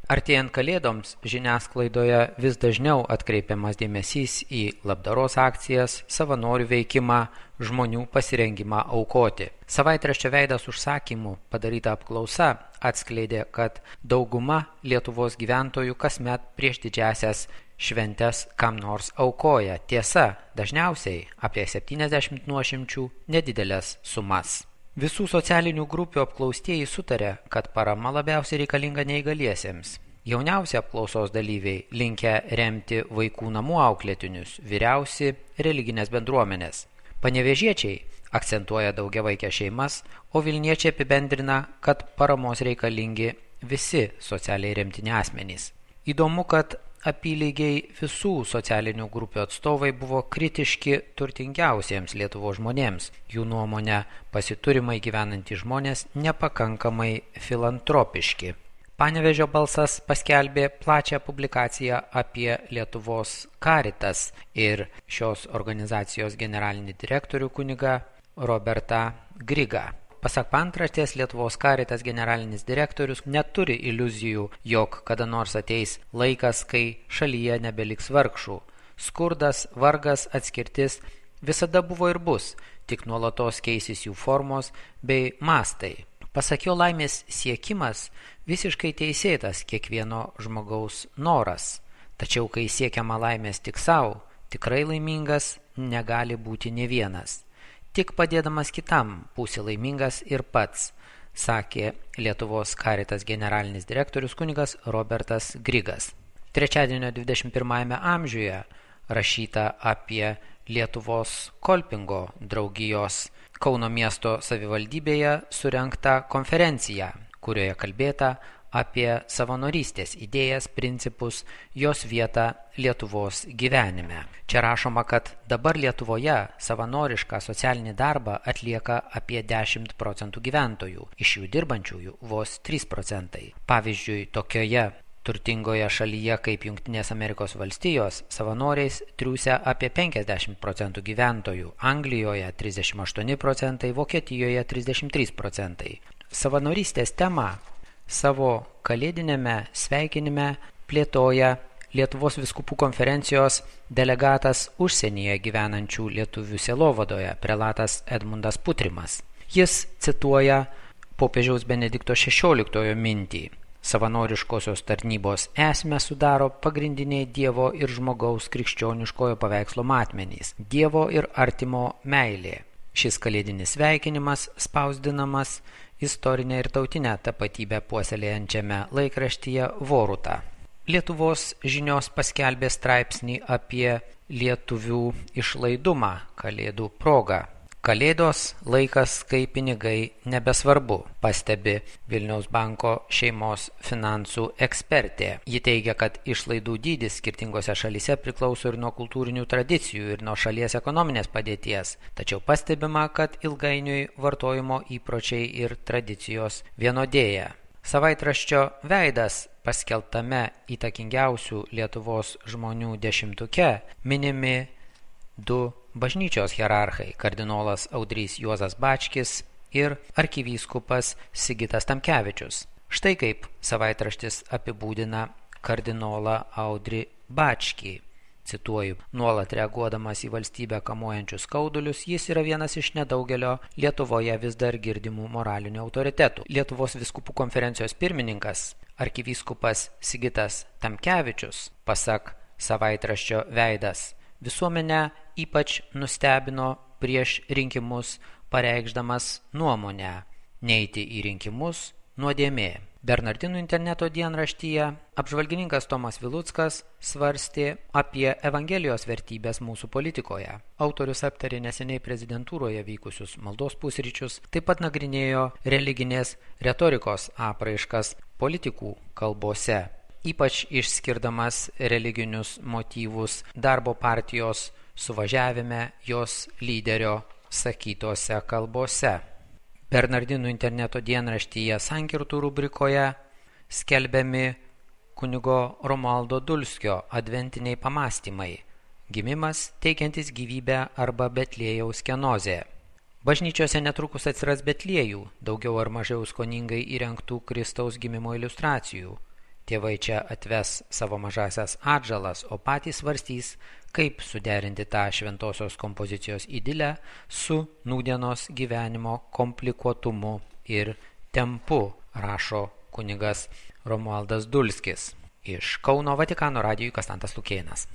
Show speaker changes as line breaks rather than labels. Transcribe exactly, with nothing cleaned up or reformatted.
Artėjant Kalėdoms žiniasklaidoje vis dažniau atkreipiamas dėmesys į labdaros akcijas, savanorių veikimą, žmonių pasirengimą aukoti. Savaitraščio Veidas užsakymų padaryta apklausa atskleidė, kad dauguma Lietuvos gyventojų kasmet prieš didžiąsias šventes kam nors aukoja. Tiesa, dažniausiai apie septyniasdešimt nuošimčių nedidelės sumas. Visų socialinių grupių apklaustieji sutarė, kad parama labiausiai reikalinga neįgaliesiems. Jauniausi apklausos dalyviai linkę remti vaikų namų auklėtinius, vyriausi religinės bendruomenės. Panevėžiečiai akcentuoja daugiavaikės šeimas, o Vilniečiai apibendrina, kad paramos reikalingi visi socialiai remtini asmenys. Įdomu, kad apylygiai visų socialinių grupių atstovai buvo kritiški turtingiausiems Lietuvos žmonėms. Jų nuomonė, pasiturimai gyvenantys žmonės nepakankamai filantropiški. Panevėžio balsas paskelbė plačią publikaciją apie Lietuvos Caritas ir šios organizacijos generalinį direktorių kunigą Robertą Grigą. Pasak paantraštės, Lietuvos Caritas generalinis direktorius neturi iliuzijų, jog kada nors ateis laikas, kai šalyje nebeliks vargšų. Skurdas, vargas, atskirtis visada buvo ir bus, tik nuolatos keisis jų formos bei mastai. Pasak jo, laimės siekimas visiškai teisėtas kiekvieno žmogaus noras. Tačiau kai siekiama laimės tik savo, tikrai laimingas negali būti nė vienas. Tik padėdamas kitam būsi laimingas ir pats, sakė Lietuvos Caritas generalinis direktorius kunigas Robertas Grigas. Trečiadienio dvidešimt pirmajame amžiuje rašyta apie Lietuvos Kolpingo draugijos Kauno miesto savivaldybėje surengtą konferenciją, kurioje kalbėta apie savanorystės idėjas, principus, jos vietą Lietuvos gyvenime. Čia rašoma, kad dabar Lietuvoje savanorišką socialinį darbą atlieka apie dešimt procentų gyventojų, iš jų dirbančiųjų vos trys procentai. Pavyzdžiui, tokioje turtingoje šalyje kaip Jungtinės Amerikos valstijos savanoriais triūsia apie penkiasdešimt procentų gyventojų, Anglijoje trisdešimt aštuoni procentai, Vokietijoje trisdešimt trys procentai. Savanorystės temą savo kalėdinėme sveikinime plėtoja Lietuvos vyskupų konferencijos delegatas užsienyje gyvenančių lietuvių sielovadoje, prelatas Edmundas Putrimas. Jis cituoja popiežiaus Benedikto šešioliktojo mintį. Savanoriškosios tarnybos esmę sudaro pagrindiniai Dievo ir žmogaus krikščioniškojo paveikslo matmenys – Dievo ir artimo meilė. Šis kalėdinis sveikinimas spausdinamas istorinę ir tautinę tapatybę puoselėjančiame laikraštyje Voruta. Lietuvos žinios paskelbė straipsnį apie lietuvių išlaidumą kalėdų proga. Kalėdos laikas, kai pinigai nebesvarbu, pastebi Vilniaus banko šeimos finansų ekspertė. Ji teigia, kad išlaidų dydis skirtingose šalyse priklauso ir nuo kultūrinių tradicijų, ir nuo šalies ekonominės padėties. Tačiau pastebima, kad ilgainiui vartojimo įpročiai ir tradicijos vienodėja. Savaitraščio Veidas paskelbtame įtakingiausių Lietuvos žmonių dešimtuke minimi du bažnyčios hierarchai – kardinolas Audrys Juozas Bačkis ir arkivyskupas Sigitas Tamkevičius. Štai kaip savaitraštis apibūdina kardinolą Audrį Bačkį. Cituoju, nuolat reaguodamas į valstybę kamuojančius skaudulius, jis yra vienas iš nedaugelio Lietuvoje vis dar girdimų moralinių autoritetų. Lietuvos vyskupų konferencijos pirmininkas, arkivyskupas Sigitas Tamkevičius, pasak savaitraščio Veidas, visuomenę ypač nustebino prieš rinkimus pareikšdamas nuomonę neiti į rinkimus nuodėmė. Bernardinų interneto dienraštyje apžvalgininkas Tomas Viluckas svarstė apie Evangelijos vertybės mūsų politikoje. Autorius aptarė neseniai prezidentūroje vykusius maldos pusryčius, taip pat nagrinėjo religinės retorikos apraiškas politikų kalbose, ypač išskirdamas religinius motyvus darbo partijos suvažiavime jos lyderio sakytose kalbose. Bernardinų interneto dienraštyje Sankirtų rubrikoje skelbiami kunigo Romualdo Dulskio adventiniai pamąstymai – gimimas teikiantis gyvybę arba Betliejaus kenozė. Bažnyčiose netrukus atsiras Betliejų, daugiau ar mažiau skoningai įrengtų Kristaus gimimo iliustracijų. Tėvai čia atves savo mažasias atžalas, o patys svarstys, kaip suderinti tą šventosios kompozicijos idilę su nūdienos gyvenimo komplikuotumu ir tempu, rašo kunigas Romualdas Dulskis. Iš Kauno Vatikano radijui Kastantas Lukėnas.